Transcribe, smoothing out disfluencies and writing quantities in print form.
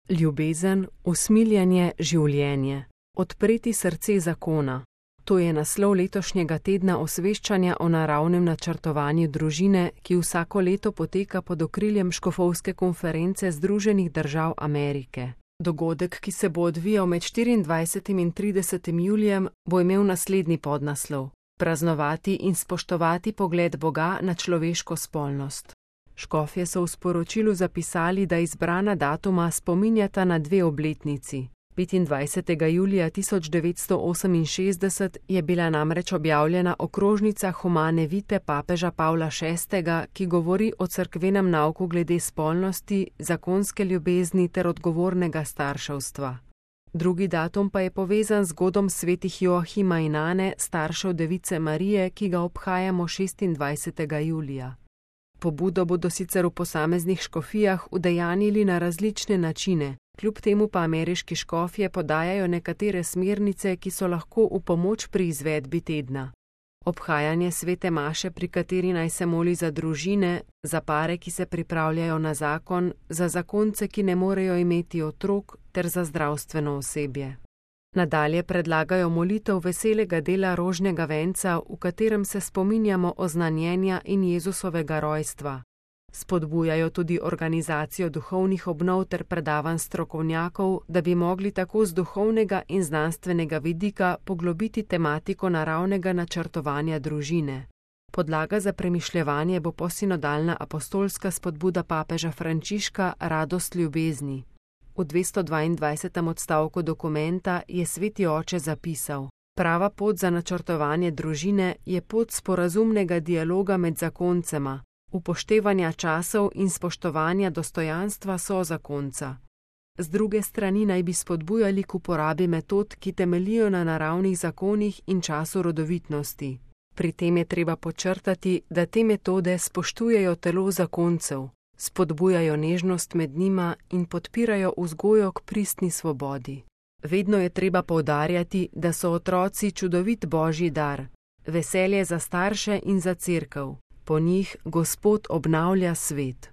Ljubezen, usmiljenje, življenje. Odpreti srce zakona. To je naslov letošnjega tedna osveščanja o naravnem načrtovanju družine, ki vsako leto poteka pod okriljem Škofovske konference Združenih držav Amerike. Dogodek, ki se bo odvijal med 24. in 30. julijem, bo imel naslednji podnaslov: Praznovati in spoštovati pogled Boga na človeško spolnost. Škofje so v sporočilu zapisali, da izbrana datuma spominjata na dve obletnici. 25. julija 1968 je bila namreč objavljena okrožnica Humane Vitae papeža Pavla VI., ki govori o cerkvenem nauku glede spolnosti, zakonske ljubezni ter odgovornega starševstva. Drugi datum pa je povezan z godom svetih Joahima in Ane, staršev Device Marije, ki ga obhajamo 26. julija. Pobudo bodo sicer v posameznih škofijah udejanjili na različne načine, kljub temu pa ameriški škofje podajajo nekatere smernice, ki so lahko v pomoč pri izvedbi tedna. Obhajanje svete maše, pri kateri naj se moli za družine, za pare, ki se pripravljajo na zakon, za zakonce, ki ne morejo imeti otrok, ter za zdravstveno osebje. Nadalje predlagajo molitev veselega dela rožnega venca, v katerem se spominjamo oznanjenja in Jezusovega rojstva. Spodbujajo tudi organizacijo duhovnih obnov ter predavanj strokovnjakov, da bi mogli tako z duhovnega in znanstvenega vidika poglobiti tematiko naravnega načrtovanja družine. Podlaga za premišljevanje bo posinodalna apostolska spodbuda papeža Frančiška Radost ljubezni. V 222. odstavku dokumenta je sveti oče zapisal: Prava pot za načrtovanje družine je pot sporazumnega dialoga med zakoncema, upoštevanja časov in spoštovanja dostojanstva sozakonca. Z druge strani naj bi spodbujali k uporabi metod, ki temeljijo na naravnih zakonih in času rodovitnosti. Pri tem je treba podčrtati, da te metode spoštujejo telo zakoncev, spodbujajo nežnost med njima in podpirajo vzgojo k pristni svobodi. Vedno je treba poudarjati, da so otroci čudovit božji dar, veselje za starše in za cerkev. Po njih Gospod obnavlja svet.